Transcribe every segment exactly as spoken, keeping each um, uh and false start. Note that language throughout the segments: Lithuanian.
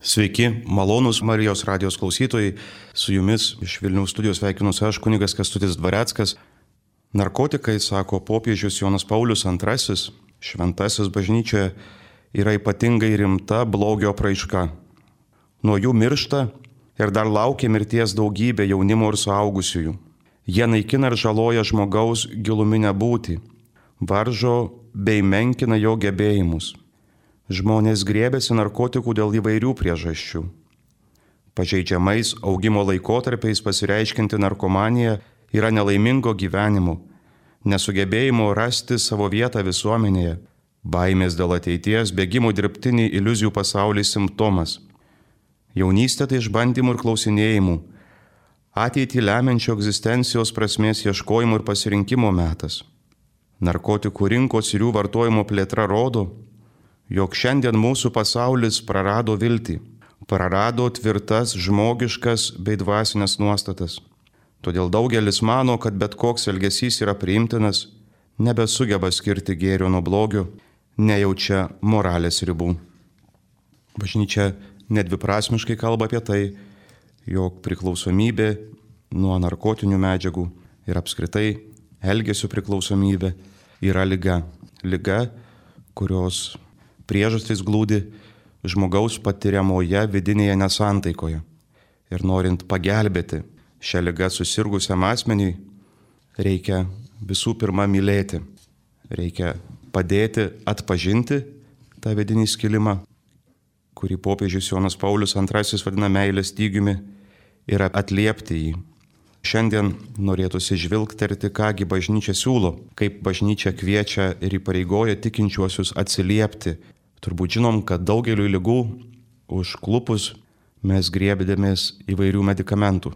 Sveiki, malonūs Marijos radijos klausytojai, su jumis iš Vilniaus studijos sveikinuosi aš, kunigas Kęstutis Dvareckas. Narkotikai, sako popiežius Jonas Paulius antrasis, šventasis bažnyčioje, yra ypatingai rimta blogio apraiška. Nuo jų miršta ir dar laukia mirties daugybė jaunimo ir suaugusiųjų. Jie naikina ir žaloja žmogaus giluminę būtį, varžo bei menkina jo gebėjimus. Žmonės grėbėsi narkotikų dėl įvairių priežasčių. Pažeidžiamais augimo laikotarpiais pasireiškinti narkomanija yra nelaimingo gyvenimo, nesugebėjimo rasti savo vietą visuomenėje, baimės dėl ateities, bėgimo dirbtinį iliuzijų pasaulį simptomas. Jaunystė tai išbandymų ir klausinėjimų, ateitį lemiančio egzistencijos prasmės ieškojimo ir pasirinkimo metas. Narkotikų rinkos ir jų vartojimo plėtra rodo, jog šiandien mūsų pasaulis prarado viltį, prarado tvirtas žmogiškas bei dvasinės nuostatas. Todėl daugelis mano, kad bet koks elgesys yra priimtinas, nebesugeba skirti gėrio nuo blogio, nejaučia moralės ribų. Bažnyčia nedviprasmiškai kalba apie tai, jog priklausomybė nuo narkotinių medžiagų ir apskritai elgesio priklausomybė yra liga. Liga, kurios priežastys glūdi žmogaus patiriamoje vidinėje nesantaikoje. Ir norint pagelbėti šią ligą susirgusiam asmeniui, reikia visų pirma mylėti. Reikia padėti atpažinti tą vidinį skilimą, kurį popiežius Jonas Paulius antrasis vadina meilės stygiumi, ir atliepti jį. Šiandien norėtųsi žvilgterti, kągi bažnyčia siūlo, kaip bažnyčia kviečia ir įpareigoja tikinčiuosius atsiliepti. Turbūt žinom, kad daugeliu ligų užklupus mes griebdėmės įvairių medikamentų.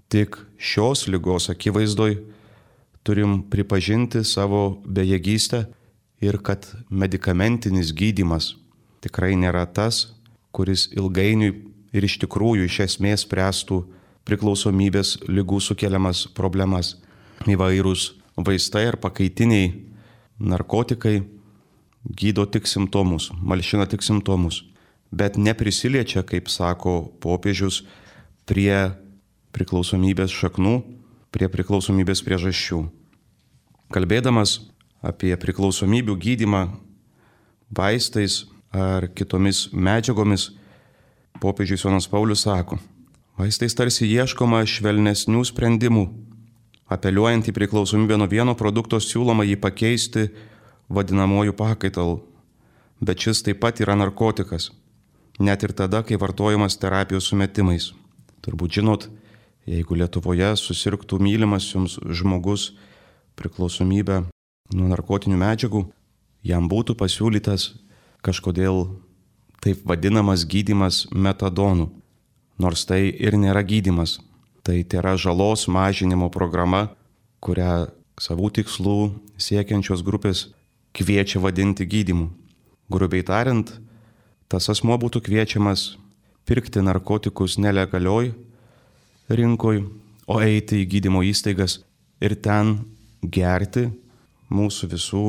Tik šios ligos akivaizdoj turim pripažinti savo bejėgystę ir kad medikamentinis gydymas tikrai nėra tas, kuris ilgainiui ir iš tikrųjų iš esmės spręstų priklausomybės ligų sukeliamas problemas. Įvairūs vaistai ar pakaitiniai narkotikai gydo tik simptomus, malšina tik simptomus, bet neprisiliečia, kaip sako popiežius, prie priklausomybės šaknų, prie priklausomybės priežasčių. Kalbėdamas apie priklausomybių gydymą vaistais ar kitomis medžiagomis, popiežius Jonas Paulius sako, vaistais tarsi ieškoma švelnesnių sprendimų. Apeliuojant į priklausomybę nuo vieno produkto siūloma jį pakeisti vadinamuoju pakaitalu. Bet šis taip pat yra narkotikas, net ir tada, kai vartojamas terapijos sumetimais. Turbūt žinot, jeigu Lietuvoje susirgtų mylimas jums žmogus priklausomybę nuo narkotinių medžiagų, jam būtų pasiūlytas kažkodėl taip vadinamas gydymas metadonu. Nors tai ir nėra gydymas, tai yra žalos mažinimo programa, kurią savų tikslų siekiančios grupės kviečia vadinti gydymu. Grubiai tariant, tas asmuo būtų kviečiamas pirkti narkotikus nelegalioj rinkoj, o eiti į gydymo įstaigas ir ten gerti mūsų visų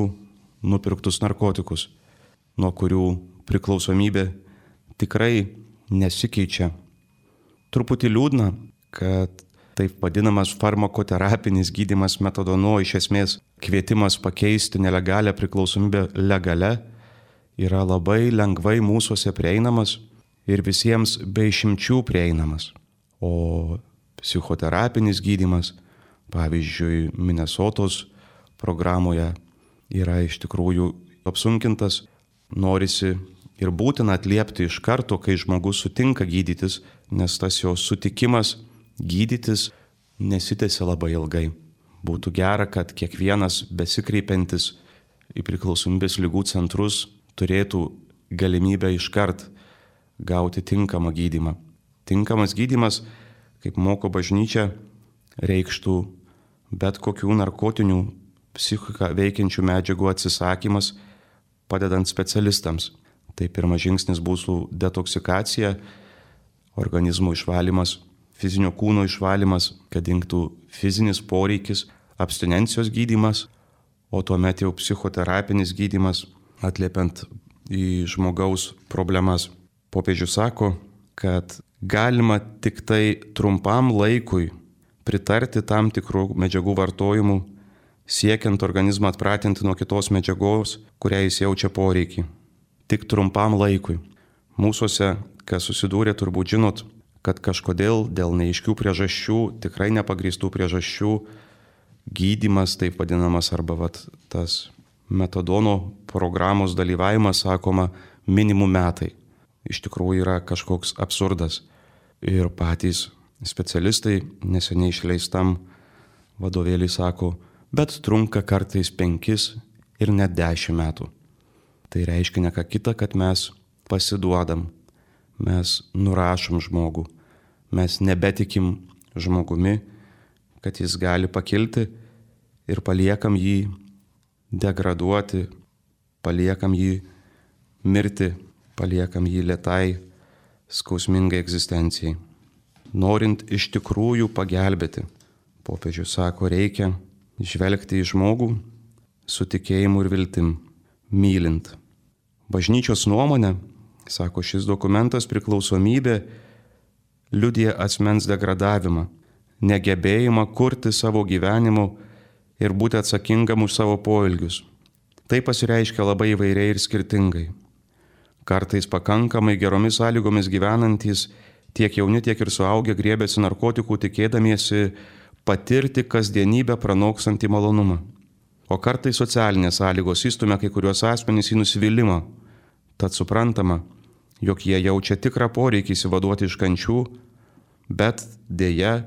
nupirktus narkotikus, nuo kurių priklausomybė tikrai nesikeičia. Truputį liūdna, kad taip vadinamas farmakoterapinis gydymas metadonu, iš esmės kvietimas pakeisti nelegalią priklausomybę legale, yra labai lengvai mūsuose prieinamas ir visiems be išimčių prieinamas. O psichoterapinis gydymas, pavyzdžiui, Minesotos programoje, yra iš tikrųjų apsunkintas. Norisi ir būtina atliepti iš karto, kai žmogus sutinka gydytis, nes tas jo sutikimas gydytis nesitęsia labai ilgai. Būtų gera, kad kiekvienas besikreipiantis į priklausomybės ligų centrus turėtų galimybę iškart gauti tinkamą gydymą. Tinkamas gydymas, kaip moko bažnyčia, reikštų bet kokių narkotinių psichiką veikiančių medžiagų atsisakymas, padedant specialistams. Tai pirmas žingsnis būtų detoksikacija, organizmo išvalymas, fizinio kūno išvalymas, kad dingtų fizinis poreikis, abstinencijos gydymas, o tuomet jau psichoterapinis gydymas, atliepiant į žmogaus problemas. Popiežius sako, kad galima tik tai trumpam laikui pritarti tam tikrų medžiagų vartojimų, siekiant organizmą atpratinti nuo kitos medžiagos, kurią jis jaučia poreikį. Tik trumpam laikui. Mūsuose, kas susidūrė, turbūt žinot, kad kažkodėl dėl neaiškių priežasčių, tikrai nepagrįstų priežasčių, gydymas, taip vadinamas, arba vat, tas metadono programos dalyvavimas, sakoma, minimum metai. Iš tikrųjų yra kažkoks absurdas. Ir patys specialistai neseniai išleistam vadovėlį sako, bet trunka kartais penkis ir net dešimt metų. Tai reiškia ne ką kita, kad mes pasiduodam, mes nurašom žmogų, mes nebetikim žmogumi, kad jis gali pakilti ir paliekam jį degraduoti, paliekam jį mirti, paliekam jį lėtai, skausmingai egzistencijai. Norint iš tikrųjų pagelbėti, popiežius sako, reikia žvelgti į žmogų su tikėjimu ir viltim, mylint. Bažnyčios nuomonė, sako šis dokumentas, priklausomybė liudija asmens degradavimą, negebėjimą kurti savo gyvenimo ir būti atsakingam už savo poelgius. Tai pasireiškia labai įvairiai ir skirtingai. Kartais pakankamai geromis sąlygomis gyvenantys tiek jauni, tiek ir suaugę griebėsi narkotikų, tikėdamiesi patirti kasdienybę pranokstantį malonumą. O kartais socialinės sąlygos įstumia kai kuriuos asmenys į nusivylimą. Tad suprantama, jog jie jaučia tikrą poreikį įsivaduoti iš kančių, bet dėja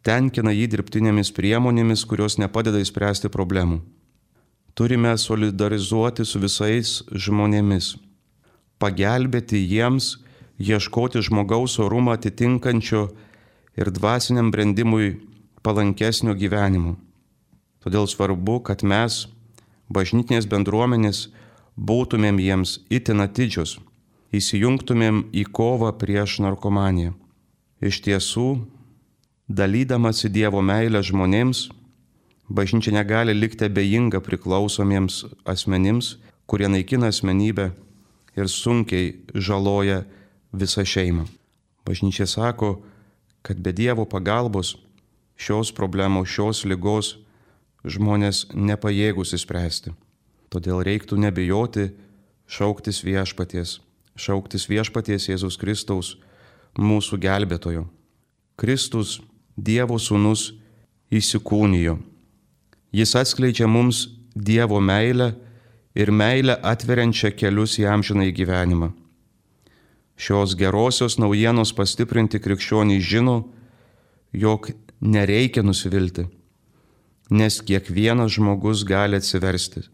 tenkina jį dirbtinėmis priemonėmis, kurios nepadeda įspręsti problemų. Turime solidarizuoti su visais žmonėmis, pagelbėti jiems, ieškoti žmogaus orumą atitinkančio ir dvasiniam brendimui palankesnio gyvenimo. Todėl svarbu, kad mes, bažnytinės bendruomenės, būtumėm jiems itin atidžios, įsijungtumėm į kovą prieš narkomaniją. Iš tiesų, dalydamasi Dievo meilę žmonėms, bažnyčia negali likti abejinga priklausomiems asmenims, kurie naikina asmenybę ir sunkiai žaloja visą šeimą. Bažnyčia sako, kad be Dievo pagalbos šios problemos, šios ligos žmonės nepajėgus įspręsti. Todėl reiktų nebijoti šauktis viešpaties, šauktis viešpaties Jėzus Kristaus, mūsų gelbėtojo. Kristus, Dievo sūnus, įsikūnijo. Jis atskleidžia mums Dievo meilę ir meilę atveriančią kelius į amžinąjį gyvenimą. Šios gerosios naujienos pastiprinti krikščionys žino, jog nereikia nusivilti, nes kiekvienas žmogus gali atsiversti.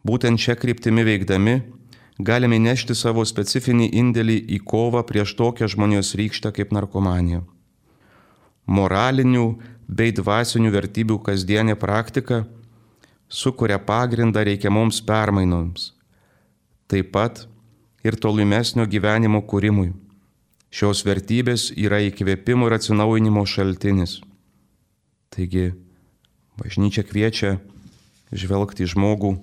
Būtent šią kryptimį veikdami galime nešti savo specifinį indėlį į kovą prieš tokią žmonijos rykštę kaip narkomanija. Moralinių bei dvasinių vertybių kasdienė praktika sukuria pagrindą reikiamoms permainoms, taip pat ir tolimesnio gyvenimo kūrimui. Šios vertybės yra įkvėpimo ir atsinaujinimo šaltinis. Taigi, bažnyčia kviečia žvelgti į žmogų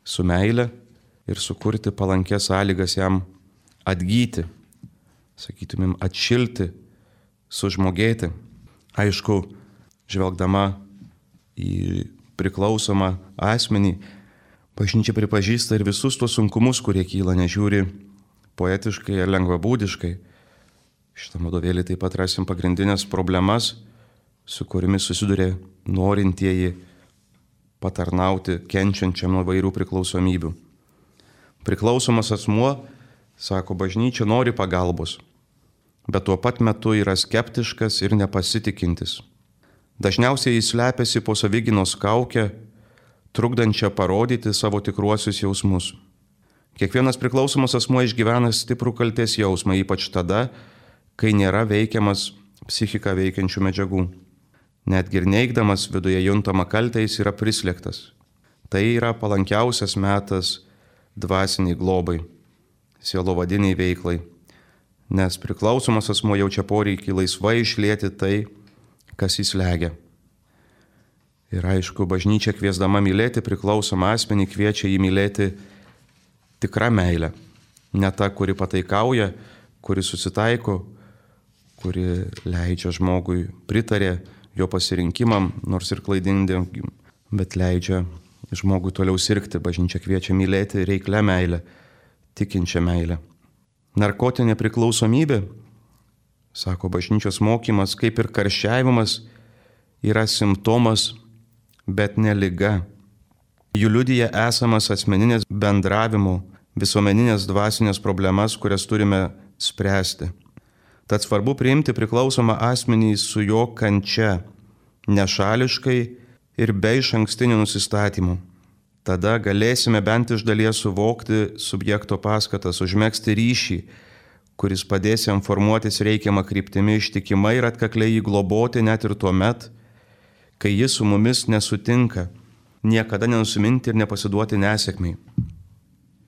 su meile ir sukurti palankės sąlygas jam atgyti, sakytumėm, atšilti, sužmogėti. Aišku, žvelgdama į priklausomą asmenį, bažnyčia pripažįsta ir visus tuos sunkumus, kurie kyla, nežiūri poetiškai ar lengvabūdiškai. Šitą vadovėlį taip pat rasim pagrindinės problemas, su kuriamis susiduria norintieji patarnauti kenčiančiam nuo vairių priklausomybių. Priklausomas asmuo, sako bažnyčia, nori pagalbos, bet tuo pat metu yra skeptiškas ir nepasitikintis. Dažniausiai jis slepiasi po savigynos kaukę, trukdančią parodyti savo tikruosius jausmus. Kiekvienas priklausomas asmuo išgyvena stiprų kaltės jausmą, ypač tada, kai nėra veikiamas psichiką veikiančių medžiagų. Netgi ir neigdamas viduje juntamą kaltę, jis yra prislėgtas. Tai yra palankiausias metas dvasiniai globai, sielovadiniai veiklai, nes priklausomas asmuo jaučia poreikį laisvai išlieti tai, kas jį slegia. Ir aišku, bažnyčia kviesdama mylėti priklausomą asmenį kviečia jį mylėti tikrą meilę, ne ta, kuri pataikauja, kuri susitaiko, kuri leidžia žmogui, pritarė jo pasirinkimam, nors ir klaidingi, bet leidžia žmogui toliau sirgti. Bažnyčia kviečia mylėti reiklę meilę, tikinčią meilę. Narkotinė priklausomybė, sako bažnyčios mokymas, kaip ir karščiavimas, yra simptomas, bet ne liga. Jų liudija esamas asmeninės bendravimo, visuomeninės dvasinės problemas, kurias turime spręsti. Tad svarbu priimti priklausomą asmenį su jo kančia, nešališkai ir be išankstinių nusistatymų. Tada galėsime bent iš dalies suvokti subjekto paskatas, užmegzti ryšį, kuris padės jam formuotis reikiamą kryptimi, ištikimai ir atkakliai jį globoti net ir tuo met, kai jis su mumis nesutinka, niekada nenusiminti ir nepasiduoti nesėkmiai.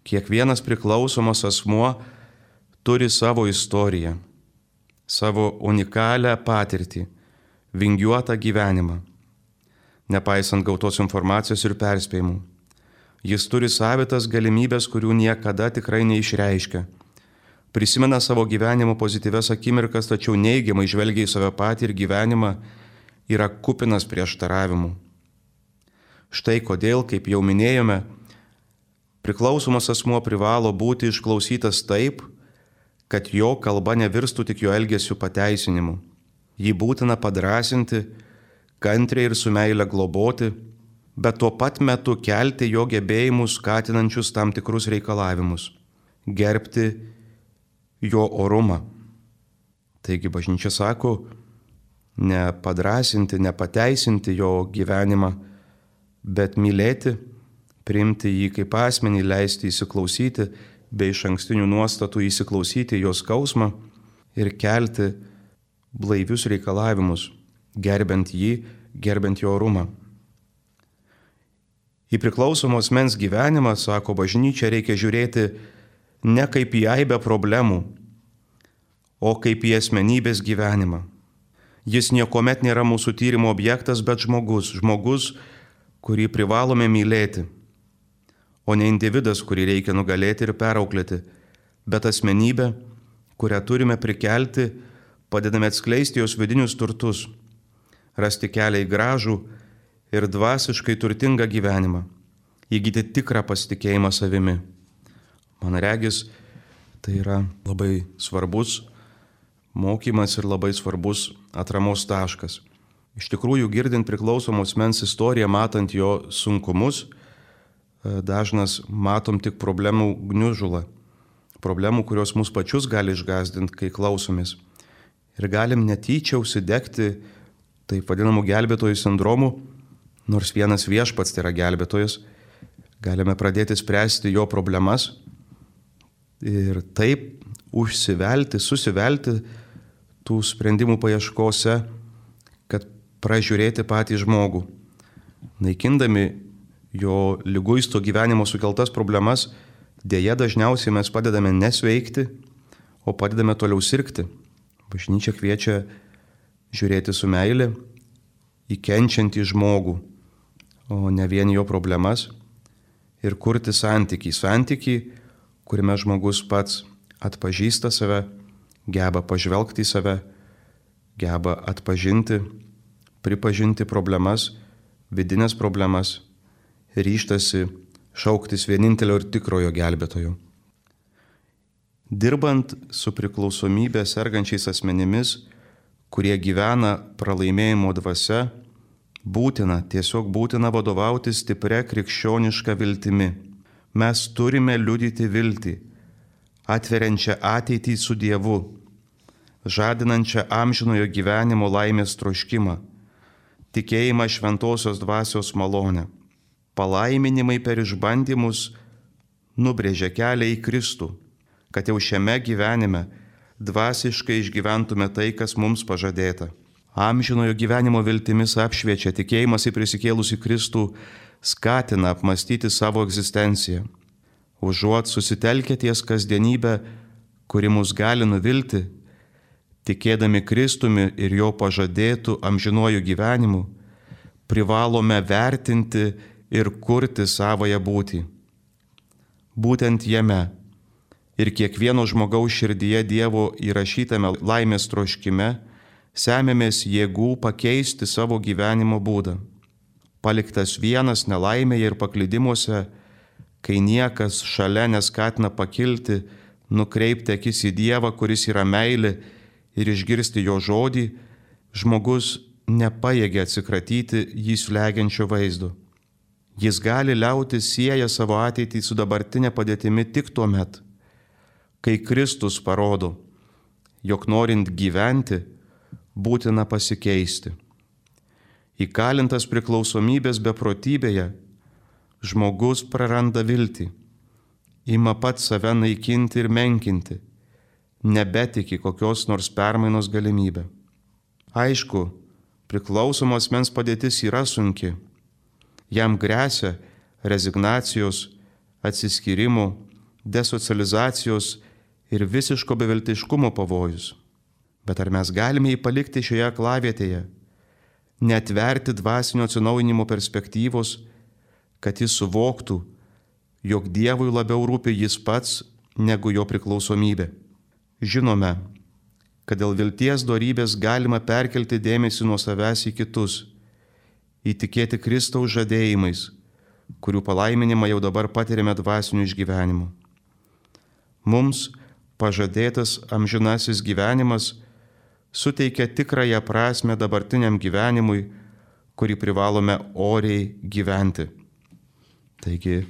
Kiekvienas priklausomas asmuo turi savo istoriją, savo unikalią patirtį, vingiuotą gyvenimą, nepaisant gautos informacijos ir perspėjimų. Jis turi savitas galimybės, kurių niekada tikrai neišreiškia. Prisimena savo gyvenimo pozityvias akimirkas, tačiau neigiamai žvelgia į save patį ir gyvenimą yra kupinas prieštaravimų. Štai kodėl, kaip jau minėjome, priklausomas asmuo privalo būti išklausytas taip, kad jo kalba nevirstų tik jo elgesių pateisinimu. Jį būtina padrąsinti, kantriai ir su meile globoti, bet tuo pat metu kelti jo gebėjimus skatinančius tam tikrus reikalavimus, gerbti jo orumą. Taigi bažnyčia sako, ne padrąsinti, ne pateisinti jo gyvenimą, bet mylėti, priimti jį kaip asmenį, leisti įsiklausyti, be išankstinių nuostatų įsiklausyti jo skausmą ir kelti blaivius reikalavimus, gerbent jį, gerbent jo orumą. Į priklausomos mens gyvenimą, sako bažnyčia, reikia žiūrėti ne kaip į aibę problemų, o kaip į asmenybės gyvenimą. Jis niekuomet nėra mūsų tyrimo objektas, bet žmogus, žmogus, kurį privalome mylėti, o ne individas, kurį reikia nugalėti ir perauklėti, bet asmenybė, kurią turime prikelti, padedame atskleisti jos vidinius turtus, rasti kelią į gražų ir dvasiškai turtingą gyvenimą, įgyti tikrą pasitikėjimą savimi. Man regis, tai yra labai svarbus mokymas ir labai svarbus atramos taškas. Iš tikrųjų, girdint priklausomos mens istoriją, matant jo sunkumus, dažnas matom tik problemų gniužulą, problemų, kurios mus pačius gali išgąsdinti, kai klausomės. Ir galim netyčia užsidegti taip vadinamų gelbėtojų sindromų, nors vienas viešpats tai yra gelbėtojas, galime pradėti spręsti jo problemas ir taip užsivelti, susivelti tų sprendimų paieškose, kad pražiūrėti patį žmogų. Naikindami jo liguisto gyvenimo sukeltas problemas, dėja dažniausiai mes padedame nesveikti, o padedame toliau sirgti. Bažnyčia kviečia žiūrėti su meile į kenčiantį žmogų, o ne vien jo problemas, ir kurti santykį. Santykį, kuriame žmogus pats atpažįsta save, geba pažvelgti į save, geba atpažinti, pripažinti problemas, vidinės problemas, ryžtasi šauktis vienintelio ir tikrojo gelbėtojo. Dirbant su priklausomybė sergančiais asmenimis, kurie gyvena pralaimėjimo dvasia, būtina, tiesiog būtina vadovauti stipria krikščioniška viltimi. Mes turime liudyti viltį, atveriančią ateitį su Dievu, žadinančią amžinojo gyvenimo laimės troškimą, tikėjimą šventosios dvasios malonę. Palaiminimai per išbandymus nubrėžia kelią į Kristų, kad jau šiame gyvenime dvasiškai išgyventume tai, kas mums pažadėta. Amžinojo gyvenimo viltimis apšviečia, tikėjimas į prisikėlusį Kristų skatina apmastyti savo egzistenciją. Užuot susitelkę ties kasdienybę, kuri mus gali nuvilti, tikėdami Kristumi ir jo pažadėtų amžinuoju gyvenimu, privalome vertinti ir kurti savąją būtį. Būtent jame ir kiekvieno žmogaus širdyje Dievo įrašytame laimės troškime semiamės jėgų pakeisti savo gyvenimo būdą. Paliktas vienas nelaimėje ir paklydimuose, kai niekas šalia neskatina pakilti, nukreipti akis į Dievą, kuris yra meilė, ir išgirsti jo žodį, žmogus nepajėgia atsikratyti jį slegiančio vaizdo. Jis gali liautis sieja savo ateitį su dabartinė padėtimi tik tuo met, kai Kristus parodo, jog norint gyventi, būtina pasikeisti. Įkalintas priklausomybės beprotybėje, žmogus praranda viltį, ima pats save naikinti ir menkinti, nebetiki kokios nors permainos galimybę. Aišku, priklausomo asmens padėtis yra sunki. Jam gresia rezignacijos, atsiskyrimo, desocializacijos ir visiško beviltiškumo pavojus. Bet ar mes galime jį palikti šioje aklavietėje, neatverti dvasinio atsinaujinimo perspektyvos, kad jis suvoktų, jog Dievui labiau rūpi jis pats negu jo priklausomybė. Žinome, kad dėl vilties dorybės galima perkelti dėmesį nuo savęs į kitus, įtikėti Kristaus žadėjimais, kurių palaiminimą jau dabar patiriame dvasiniu išgyvenimu. Mums pažadėtas amžinasis gyvenimas suteikia tikrąją prasme dabartiniam gyvenimui, kurį privalome oriai gyventi. Taigi,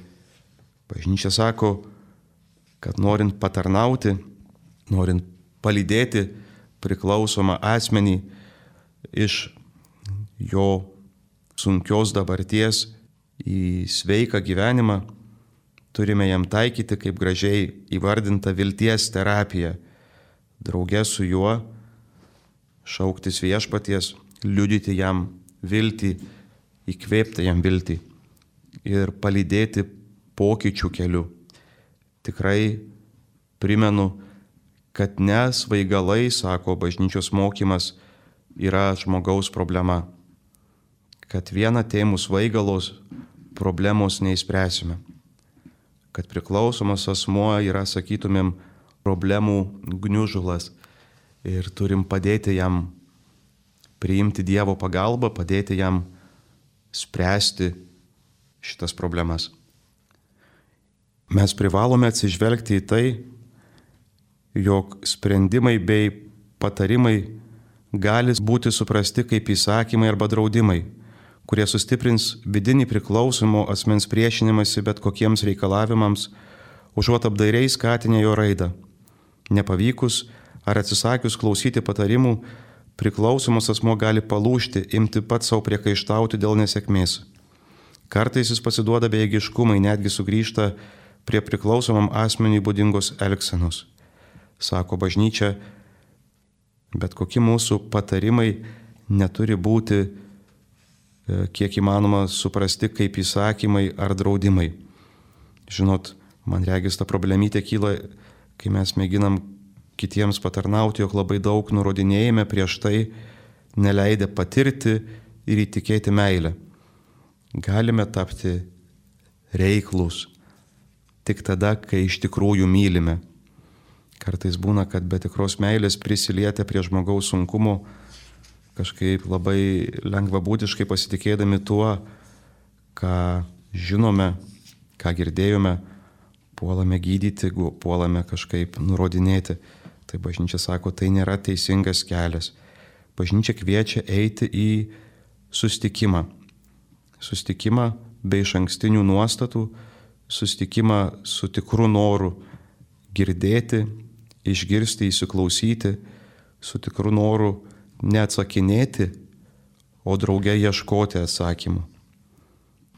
bažnyčia sako, kad norint patarnauti, norint palydėti priklausomą asmenį iš jo sunkios dabarties į sveiką gyvenimą, turime jam taikyti, kaip gražiai įvardinta, vilties terapiją. Drauge su juo šauktis viešpaties, liudyti jam viltį, įkvėpti jam viltį ir palydėti pokyčių keliu. Tikrai primenu, kad ne svaigalai, sako bažnyčios mokymas, yra žmogaus problema. Kad vieną tėmus svaigalos problemos neįspręsime. Kad priklausomas asmuo yra, sakytumėm, problemų gniužulas ir turim padėti jam priimti Dievo pagalbą, padėti jam spręsti šitas problemas. Mes privalome atsižvelgti į tai, jog sprendimai bei patarimai gali būti suprasti kaip įsakymai arba draudimai, kurie sustiprins vidinį priklausomo asmens priešinimąsi bet kokiems reikalavimams, užuot apdairiai skatinę jo raidą. Nepavykus ar atsisakius klausyti patarimų, priklausomas asmuo gali palūžti, imti pats savo priekaištauti dėl nesėkmės. Kartais jis pasiduoda bejėgiškumai, netgi sugrįžta prie priklausomam asmeniui būdingos elgsenos. Sako bažnyčia, bet kokie mūsų patarimai neturi būti kiek įmanoma suprasti kaip įsakymai ar draudimai. Žinot, man regis ta problemytė kyla, kai mes mėginam kitiems patarnauti, jog labai daug nurodinėjame prieš tai, neleidę patirti ir įtikėti meilę. Galime tapti reiklus tik tada, kai iš tikrųjų mylime. Kartais būna, kad be tikros meilės prisilietę prie žmogaus sunkumo, kažkaip labai lengvabūdiškai pasitikėdami tuo, ką žinome, ką girdėjome, puolame gydyti, puolame kažkaip nurodinėti. Tai bažnyčia sako, tai nėra teisingas kelias. Bažnyčia kviečia eiti į susitikimą. Susitikimą be išankstinių nuostatų, susitikimą su tikru noru girdėti, išgirsti, įsiklausyti, su tikru noru neatsakinėti, o drauge ieškoti atsakymų.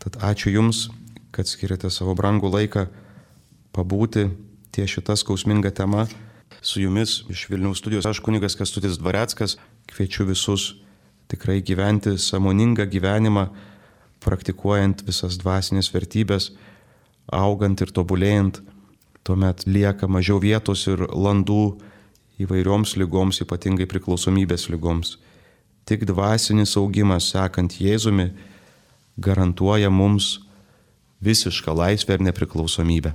Tad ačiū Jums, kad skiriate savo brangų laiką pabūti ties šita skausminga tema. Su Jumis iš Vilniaus studijos aš kunigas Kęstutis Dvareckas kviečiu visus tikrai gyventi sąmoningą gyvenimą, praktikuojant visas dvasinės vertybės, augant ir tobulėjant. Tuomet lieka mažiau vietos ir landų įvairioms ligoms, ypatingai priklausomybės ligoms. Tik dvasinis augimas, sekant Jėzumi, garantuoja mums visišką laisvę ir nepriklausomybę.